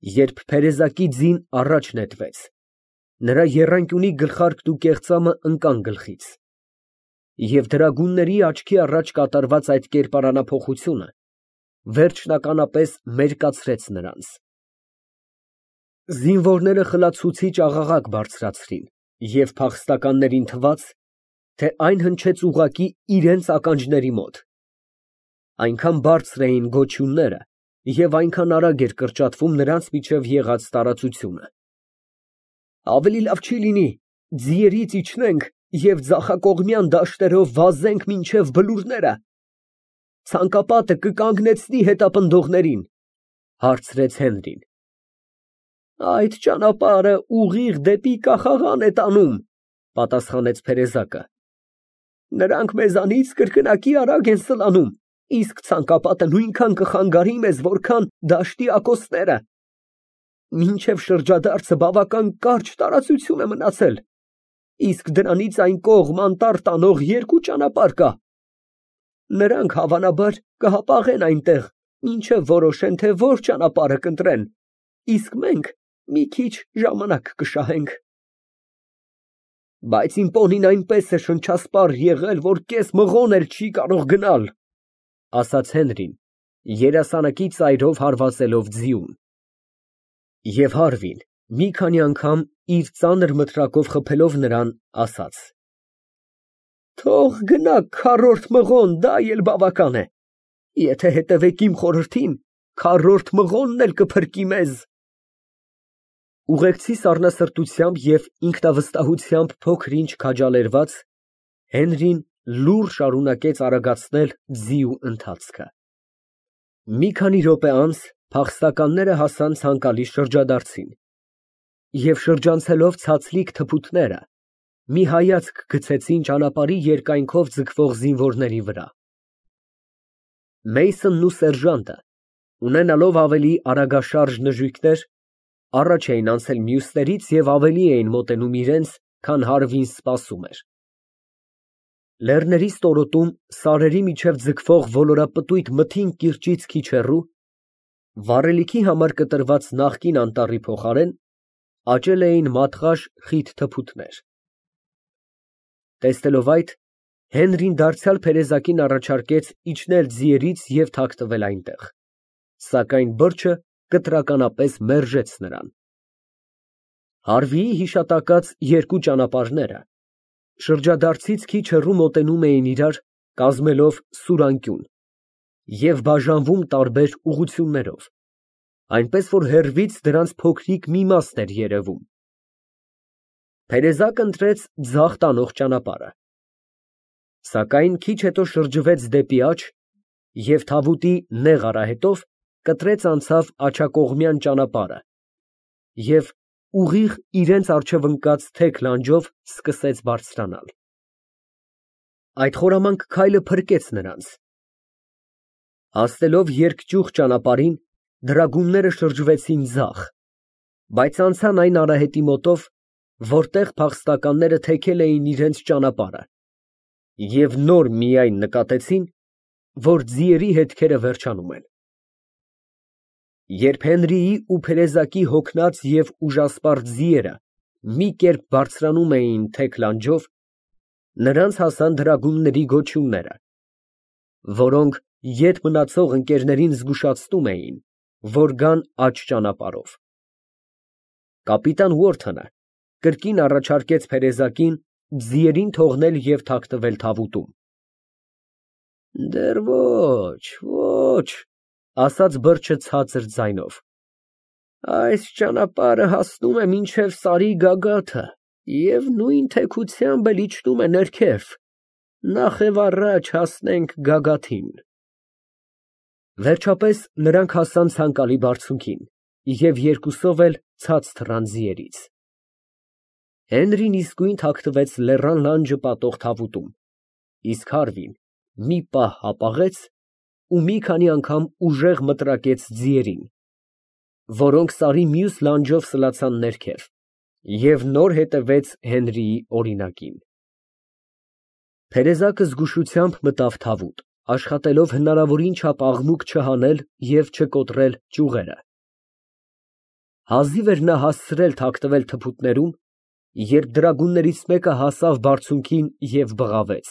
Երբ փերեզակի ձին առաջ նետվեց, նրա եռանկյունի գլխարկն ու կեղծամը ընկան գլխից, և դրագունների աչքի առաջ կատարված այդ կերպարանափոխությունը վերջնականապես մերկացրեց նրանց։ Զինվորները խլացուցիչ աղաղակ բարձրացրին, և փախստականներին թվաց, թե այն հնչեց ուղղակի իրենց ականջների մոտ։ Այնքան բարձր էին գոչյունները և այնքան արագ էր կրճատվում նրանց միջև եղած տարածությունը։ Ավելի լավ չի լինի ձիերից իջնենք և ձախակողմյան դաշտերով վազենք մինչև բլուրները, ցանկապատը կկանգնեցնի հետապնդողներին, հարցրեց Հենրին։ Այդ ճանապարհը ուղիղ դեպի կախաղան է տանում, պատասխանեց փերեզակը։ Նրանք մեզանից կրկնակի արագ են սլանում, իսկ ցանկապատը նույնքան կխանգարի մեզ, որքան դաշտի ակոսները։ Մինչև շրջադարձը բավական կարճ տարածություն է մնացել, իսկ դրանից այն կողմ անտառ տանող երկու ճանապարհ կա։ Նրանք հավանաբար կհապաղեն այնտեղ, մինչև որոշեն, թե որ ճանապարհը կընտրեն, իսկ մենք մի քիչ ժամանակ կշահենք։ Բայց իմ պոնին այնպես է շնչասպառ եղել, որ կես մղոն էլ չի կարող գնալ, ասաց Հենրին, երասանակի ծայրով հարվածելով ձիուն։ Եվ Հարվին մի քանի անգամ իր ծանր մտրակով խփելով նրան, ասաց. Թող գնա քառորդ մղոն, դա էլ բավական է։ Եթե հետևեք իմ խորհրդին, քառորդ մղոնն էլ կփրկի մեզ։ Ուղեկցի սառնասրտությամբ և ինքնավստահությամբ փոքր֊ինչ քաջալերված, Հենրին լուռ շարունակեց արագացնել ձիու ընթացքը։ Մի քանի րոպե անց փախստականները հասան ցանկալի շրջադարձին և շրջանցելով ցածլիկ թփուտները, մի հայացք գցեցին ճանապարհի երկայնքով ձգվող զինվորների վրա։ Մեյսոնն ու սերժանտը, ունենալով ավելի արագաշարժ նժույգներ, առաջ էին անցել մյուսներից և ավելի էին մոտենում իրենց, քան Հարվին սպասում էր։ Լեռների ստորոտում սարերի միջև ձգվող ոլորապտույտ մթին կիրճից քիչ հեռու, վառելիքի համար կտրված նախկին անտառի փոխարեն, աճել էին մատղաշ խիտ թփուտներ։ Տեսնելով այդ, Հենրին դարձյալ փերեզակին առաջարկեց իջնել ձիերից և թաքնվել այնտեղ, սակայն բրջը կտրականապես մերժեց նրան։ Հարվիի հիշատակած երկու ճանապարհները շրջադարձից քիչ հեռու մոտենում էին իրար, կազմելով սուրանկյուն և բաժանվում տարբեր ուղղություններով, այնպես որ հեռվից դրանց փոքրիկ մի մասն էր երևում։ Փերեզակը ընտրեց ձախ տանող ճանապարհը, սակայն քիչ հետո շրջվեց դեպի աջ և թավուտի նեղ արահետով կտրեց անցավ աջակողմյան ճանապարհը և ուղիղ իրենց առջև ընկած թեք լանջով սկսեց բարձրանալ։ Այդ խորամանկ քայլը փրկեց նրանց։ Հասնելով երկճյուղ ճանապարհին, դրագունները շրջվեցին ձախ, բայց անցան այն արահետի մոտով, որտեղ փախստականները թեքել էին իրենց ճանապարհը, և նոր միայն նկատեցին, որ ձիերի հետքերը վերջանում են։ Երբ Հենրիի ու փերեզակի հոգնած և ուժասպառ ձիերը մի կերպ բարձրանում էին թեք լանջով, նրանց հասան դրագունների գոչյունները, որոնք ետ մնացող ընկերներին զգուշացնում էին, որ գան աջ ճանապարհով։ Կապիտան Ուորթոնը կրկին առաջարկեց փերեզակին ձիերին թողնել և թաքնվել թավուտում։ Դեռ ոչ, ասաց բրջը ցածր ձայնով, այս ճանապարհը հասնում է մինչև սարի գագաթը և նույն թեքությամբ էլ իջնում է ներքև, նախ առաջ հասնենք գագաթին։ Վերջապես նրանք հասան ցանկալի բարձունքին և երկուսով էլ ցած թռան ձիերից։ Հենրին իսկույն թաքնվեց լեռան լանջը պատող թավուտում, իսկ Հարվին մի պահ հապաղեց ու մի քանի անգամ ուժեղ մտրակեց ձիերին, որոնք սարի մյուս լանջով սլացան ներքև և նոր հետևեց Հենրիի օրինակին։ Փերեզակը զգուշությամբ մտավ թավուտ, աշխատելով հնարավորին չափ աղմուկ չհանել և չկոտրել ճյուղերը։ Հազիվ էր նա հասցրել թաքնվել թփուտներում, երբ դրագուններից մեկը հասավ բարձունքին և բղավեց.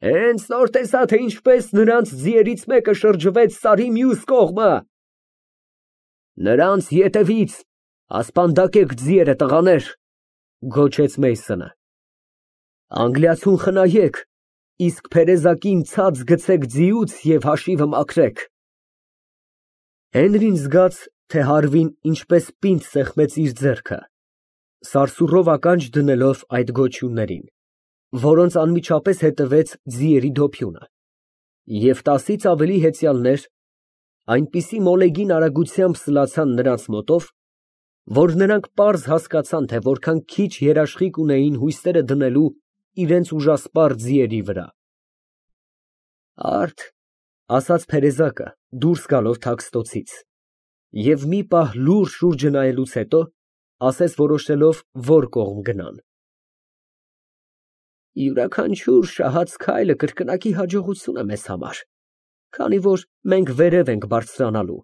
«Հենց նոր տեսա, թե ինչպես նրանց ձիերից մեկը շրջվեց սարի մյուս կողմը»։ «Նրանց ետևից ասպանդակեք ձիերը, տղաներ», գոչեց Մեյսոնը։ «Անգլիացուն խնայեք, իսկ փերեզակին ցած գցեք ձիուց և հաշիվը մաքրեք»։ Հենրին զգաց, թե հարվին ինչպես պինդ սեղմեց իր ձեռքը, սարսուռով ականջ դնելով այդ գոչյուններին, որոնց անմիջապես հետևեց ձիերի դոփյունը, և 10-ից ավելի հեծյալներ այնպիսի մոլեգին արագությամբ սլացան նրանց մոտով, որ նրանք պարզ հասկացան, թե որքան քիչ երաշխիք ունեին հույսերը դնելու իրենց ուժասպառ ձիերի վրա։ «Արդ», ասաց փերեզակը, դուրս գալով թաքստոցից, և մի պահ լուռ շուրջը նայելուց հետո ասաց, որոշելով որ կողմ գնան. «Յուրաքանչյուր շահած քայլը կրկնակի հաջողություն է մեզ համար, քանի որ մենք վերև ենք բարձրանալու,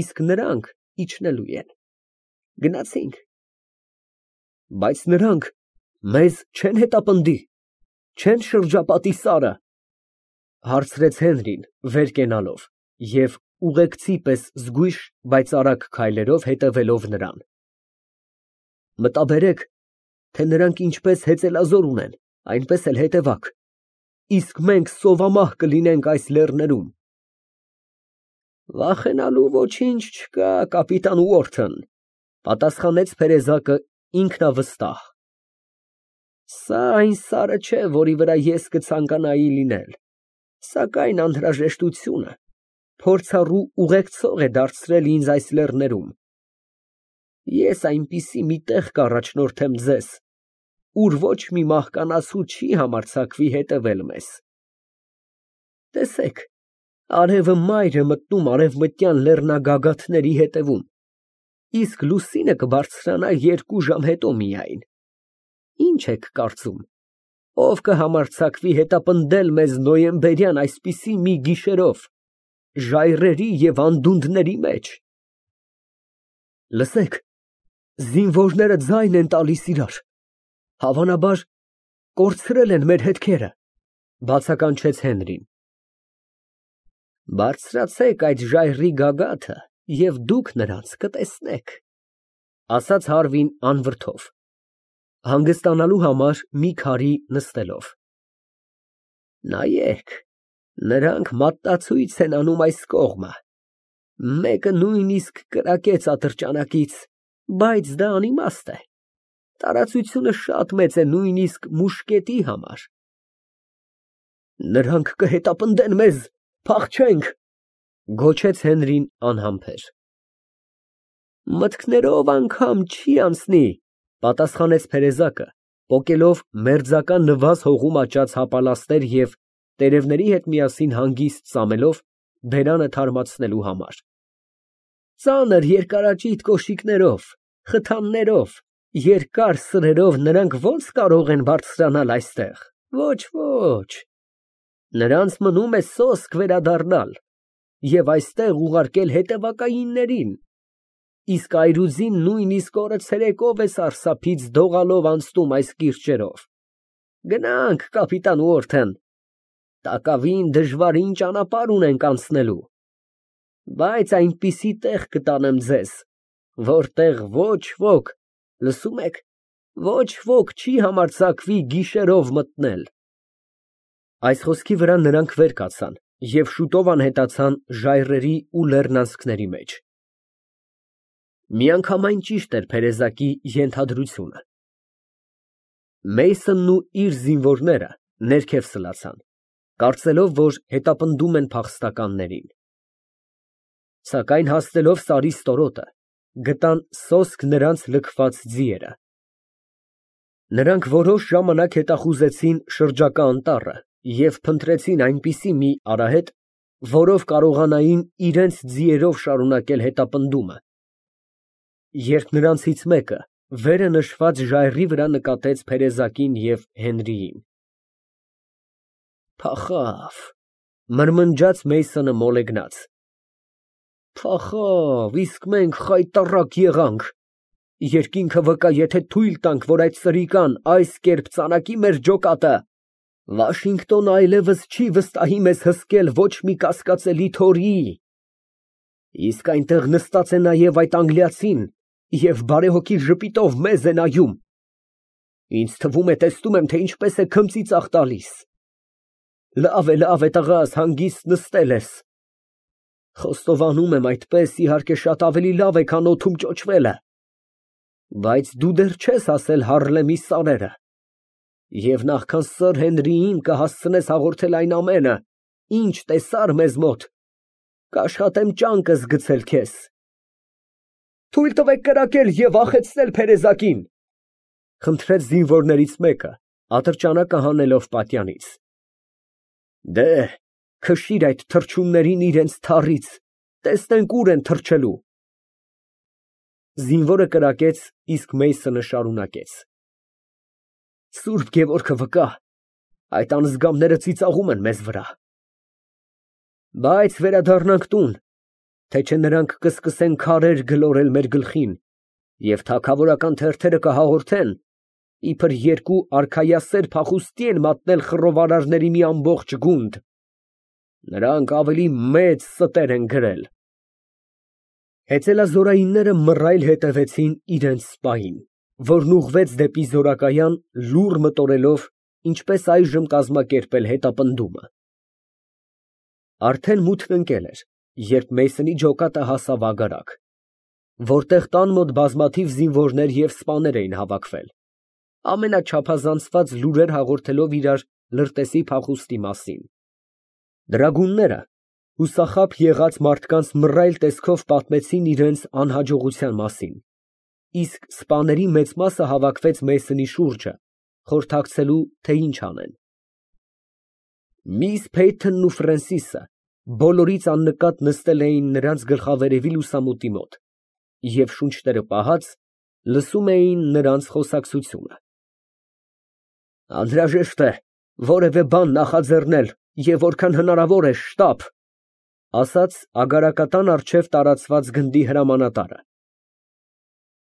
իսկ նրանք իջնելու են։ Գնացինք»։ «Բայց նրանք մեզ չեն հետապնդի, չեն շրջապատի սարը», հարցրեց Հենրին, վեր կենալով և ուղեկցի պես զգույշ, բայց արագ քայլերով հետևելով նրան։ «Մտաբերեք, թե նրանք ինչպես հեծելազոր ունեն, այնպես էլ հետևակ, իսկ մենք սովամահ կլինենք այս լեռներում»։ «Վախենալու ոչինչ չկա, կապիտան Ուորթն», պատասխանեց փերեզակը ինքնավստահ։ «Սա այն սարը չէ, որի վրա ես կցանկանայի լինել, սակայն անհրաժեշտությունը փորձառու ուղեկցող է դարձրել ինձ այս լեռներում։ Ես այնպիսի մի տեղ կառաջնորդեմ ձեզ, ուր ոչ մի մահկանացու չի համարձակվի հետևել մեզ։ Տեսեք, արևը մայր է մտնում արևմտյան լեռնագագաթների հետևում, իսկ լուսինը կբարձրանա 2 ժամ հետո միայն։ Ինչ եք կարծում, ով կհամարձակվի հետապնդել մեզ նոյեմբերյան այսպիսի մի գիշերով, ժայռերի և անդունդների մեջ»։ «Լսեք, զինվորները ձայն են տալիս իրար, հավանաբար կորցրել են մեր հետքերը», բացականչեց Հենրին։ «Բարձրացեք այդ ժայռի գագաթը և դուք նրանց կտեսնեք», ասաց Հարվին անվրդով, հանգստանալու համար մի քարի նստելով։ «Նայեք, նրանք մատնացույց են անում այս կողմը, մեկը նույնիսկ կրակեց ատրճանակից, բայց դա անիմաստ է, տարածությունը շատ մեծ է նույնիսկ մուշկետի համար»։ «Նրանք կհետապնդեն մեզ, փախչենք», գոչեց Հենրին անհամբեր։ «Մտքներով անգամ չի անցնի», պատասխանեց փերեզակը, պոկելով մերձակա նվազ հողում աճած հապալաստեր և տերևների հետ միասին հանգիստ ծամելով բերանը թարմացնելու համար։ «Ծանր երկարաճիտ կոշիկներով, խթաններով, երկար սրերով նրանք ո՞նց կարող են բարձրանալ այստեղ։ Ոչ, ոչ, նրանց մնում է սոսկ վերադառնալ և այստեղ ուղարկել հետևակայիններին, իսկ այրուձին նույնիսկ օրը ցերեկով է սարսափից դողալով անցնում այս կիրճերով։ Գնանք, կապիտան Ուորթեն, տակավին դժվարին ճանապարհ ունենք անցնելու, բայց այնպիսի տեղ կտանեմ ձեզ, որտեղ ոչ ոք, լսում եք, ոչ ոք չի համարձակվի գիշերով մտնել»։ Այս խոսքի վրա նրանք վեր կացան և շուտով անհետացան ժայռերի ու լեռնանցքների մեջ։ Միանգամայն ճիշտ էր փերեզակի ենթադրությունը։ Մեյսոնն ու իր զինվորները ներքև սլացան, կարծելով, որ հետապնդում են փախստականներին։ Սակայն հասնելով սարի ստորոտը, գտան սոսկ նրանց լքված ձիերը։ Նրանք որոշ ժամանակ հետախուզեցին շրջակա անտառը և փնտրեցին այնպիսի մի արահետ, որով կարողանային իրենց ձիերով շարունակել հետապնդումը, երբ նրանցից մեկը վերը նշված ժայռի վրա նկատեց փերեզակին և Հենրիին։ «Փախավ», մրմնջաց Մեյսոնը մոլեգնած։ Փախավ, իսկ մենք խայտառակ եղանք։ Երկինքը վկա, եթե թույլ տանք, որ այդ սրիկան այս կերպ ծանակի մեր ջոկատը, Վաշինգտոնը այլևս չի վստահի մեզ հսկել ոչ մի կասկածելի թորի։ Իսկ այնտեղ նստած է նաև այդ անգլիացին և բարեհոգի ժպիտով մեզ է նայում։ Ինձ թվում է, տեսնում եմ, թե ինչպես է քմծիծաղ տալիս։ Լավ է, տղաս, հանգիստ նստել ես։ Խոստովանում եմ, այդպես, իհարկե, շատ ավելի լավ է, քան օդում ճոճվելը։ Բայց դու դեռ չես հասել Հարլեմի սարերը։ Եվ նախքան սըր Հենրիին կհասցնես հաղորդել այն ամենը, ինչ տեսար մեզ մոտ, կաշխատեմ ճանկս գցել քեզ։ Թույլ տվեք կրակել և վախեցնել փերեզակին, խնդրեց զինվորներից մեկը, ատրճանակը հանելով պատյանից։ Դե, քշիր այդ թռչուններին իրենց թառից, տեսնենք ուր են թռչելու։ Զինվորը կրակեց, իսկ Մեյսոնը շարունակեց. Սուրբ Գևորգը վկա, այդ անզգամները ծիծաղում են մեզ վրա։ Բայց վերադառնանք տուն, թե չէ նրանք կսկսեն քարեր գլորել մեր գլխին և թագավորական թերթերը կհաղորդեն, իբր երկու արքայասեր փախուստի են մատնել խռովարարների մի ամբողջ գունդ։ Նրանք ավելի մեծ ստեր են գրել։ Հեծելազորայինները մռայլ հետևեցին իրենց սպային, որն ուղղվեց դեպի զորակայան, լուռ մտորելով, ինչպես այժմ կազմակերպել հետապնդումը։ Արդեն մութն ընկել էր, երբ Մեյսոնի ջոկատը հասավ ագարակ, որտեղ տան մոտ բազմաթիվ զինվորներ և սպաներ էին հավաքվել, ամենաչափազանցված լուրեր հաղորդելով իրար լրտեսի փախուստի մասին։ Դրագունները հուսախաբ եղած մարդկանց մռայլ տեսքով պատմեցին իրենց անհաջողության մասին, իսկ սպաների մեծ մասը հավաքվեց Մեյսոնի շուրջը, խորհրդակցելու, թե ինչ անեն։ Միս Փեյթոնն ու Ֆրենսիսը բոլորից աննկատ նստել էին նրանց գլխավերևի լուսամուտի մոտ և շունչները պահած լսում էին նրանց խոսակցությունը։ Անհրաժեշտ է որևէ բան նախաձեռնել և որքան հնարավոր է շտապ, ասաց ագարակատան առջև տարածված գնդի հրամանատարը։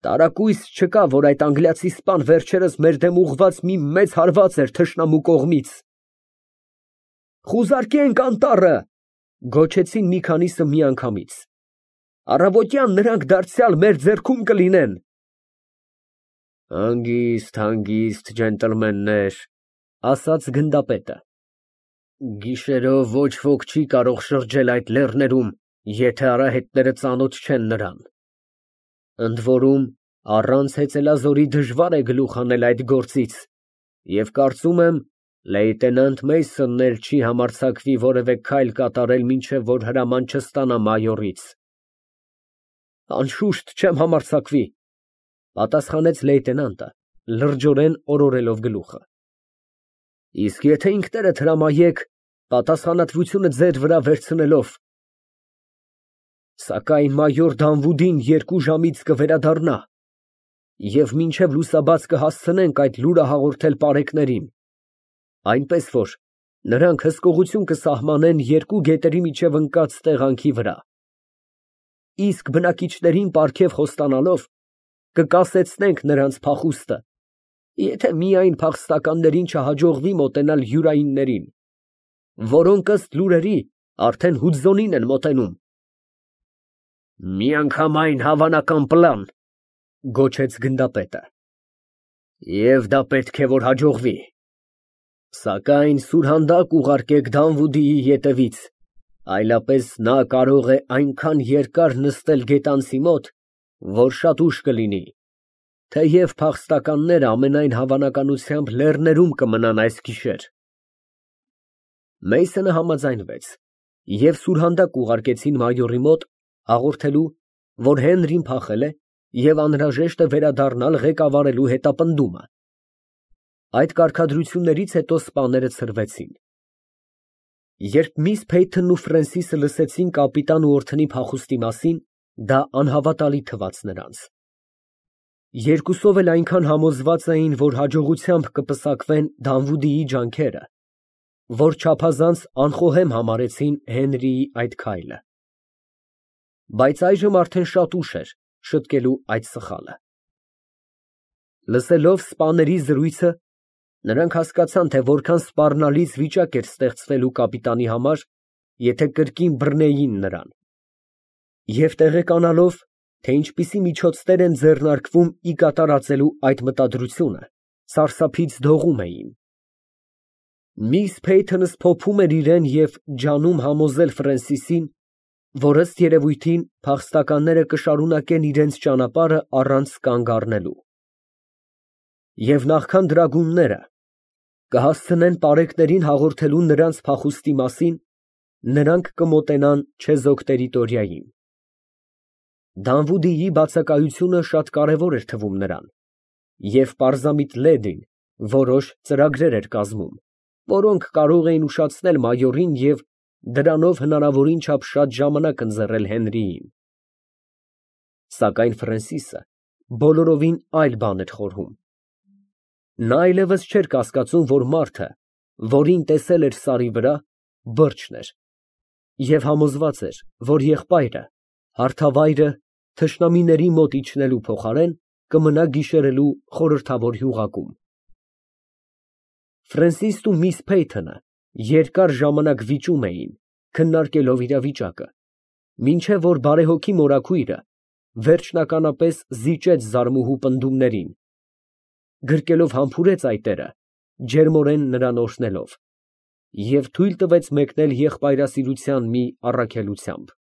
Տարակույս չկա, որ այդ անգլիացի սպան վերջերս մեր դեմ ուղղված մի մեծ հարված էր թշնամու կողմից։ Խուզարկենք անտառը, գոչեցին մի քանիսը միանգամից։ Առավոտյան նրանք դարձյալ մեր ձեռքում կլինեն։ Հանգիստ, ջենտլմեններ, ասաց գնդապետը։ Գիշերով ոչ ոք չի կարող շրջել այդ լեռներում, եթե արահետները ծանոթ չեն նրան։ Ընդ որում, առանց հեծելազորի դժվար է գլուխ հանել այդ գործից, և կարծում եմ, լեյտենանտ Մեյսոնն էլ չի համարձակվի որևէ քայլ կատարել, մինչև որ հրաման չստանա մայորից։ Անշուշտ չեմ համարձակվի, պատասխանեց լեյտենանտը, լրջորեն օրորելով գլուխը։ Իսկ եթե ինքներդ հրամայեք, պատասխանատվությունը ձեր վրա վերցնելով։ Սակայն մայոր Դանվուդին 2 ժամից կվերադառնա, և մինչև լուսաբաց կհասցնենք այդ լուրը հաղորդել պարեկներին, այնպես որ նրանք հսկողություն կսահմանեն 2 գետերի միջև ընկած տեղանքի վրա։ Իսկ բնակիչներին պարգև խոստանալով, կկասեցնենք նրանց փախուստը, եթե միայն փախստականներին չհաջողվի մոտենալ յուրայիններին, որոնք ըստ լուրերի արդեն Հուդզոնին են մոտենում։ Միանգամայն հավանական պլան, գոչեց գնդապետը։ Եվ դա պետք է որ հաջողվի։ Սակայն սուրհանդակ ուղարկեք Դանվուդիի ետևից, այլապես նա կարող է այնքան երկար նստել գետանցի մոտ, որ շատ ուշ կլինի, թեև փախստականները ամենայն հավանականությամբ լեռներում կմնան այս գիշեր։ Մեյսոնը համաձայնվեց, և սուրհանդակ ուղարկեցին մայորի մոտ, հաղորդելու, որ Հենրին փախել է և անհրաժեշտ է վերադառնալ ղեկավարելու հետապնդումը։ Այդ կարգադրություններից հետո սպաները ցրվեցին։ Երբ միս Փեյթոնն ու Ֆրենսիսը լսեցին կապիտան Ուորթոնի փախուստի մասին, դա անհավատալի թվաց նրանց։ Երկուսով էլ այնքան համոզված էին, որ հաջողությամբ կպսակվեն Դանվուդիի ջանքերը, որ չափազանց անխոհեմ համարեցին Հենրիի այդ քայլը։ Բայց այժմ արդեն շատ ուշ էր շտկելու այդ սխալը։ Լսելով սպաների զրույցը, նրանք հասկացան, թե որքան սպառնալից վիճակ էր ստեղծվելու կապիտանի համար, եթե կրկին բռնեին նրան, և տեղեկանալով, թե ինչպիսի միջոցներ են ձեռնարկվում ի կատարածելու այդ մտադրությունը, սարսափից դողում էին։ Միս Փեյթոնս փոփում էր իրան և ջանում համոզել Ֆրենսիսին, որ ըստ երևույթին փախստականները կշարունակեն իրենց ճանապարհը առանց կանգ առնելու, և նախքան դրագունները կհասցնեն պարեկներին հաղորդելու նրանց փախուստի մասին, նրանք կմոտենան չեզոք տերիտորիային։ Դանվուդիի բացակայությունը շատ կարևոր էր թվում նրան, և պարզամիտ լեդին որոշ ծրագրեր էր կազմում, որոնք կարող էին ուշացնել մայորին և դրանով հնարավորին չափ շատ ժամանակ ընձեռել Հենրիին։ Սակայն Ֆրենսիսը բոլորովին այլ բան էր խորհում։ Նա այլևս չէր կասկածում, որ մարդը, որին տեսել էր սարի վրա, բրջն էր, և համոզված էր, որ եղբայրը, հարթավայրը, թշնամիների մոտ իջնելու փոխարեն, կմնա գիշերելու խորհրդավոր հյուղակում։ Ֆրենսիսն ու միս Փեյթոնը երկար ժամանակ վիճում էին, քննարկելով իրավիճակը, մինչև որ բարեհոգի մորաքույրը վերջնականապես զիջեց զարմուհու պնդումներին, գրկելով համբուրեց այտերը, ջերմորեն նրան օրհնելով, և թույլ տվեց մեկնել եղբայրասիրության մի առաքելությամբ։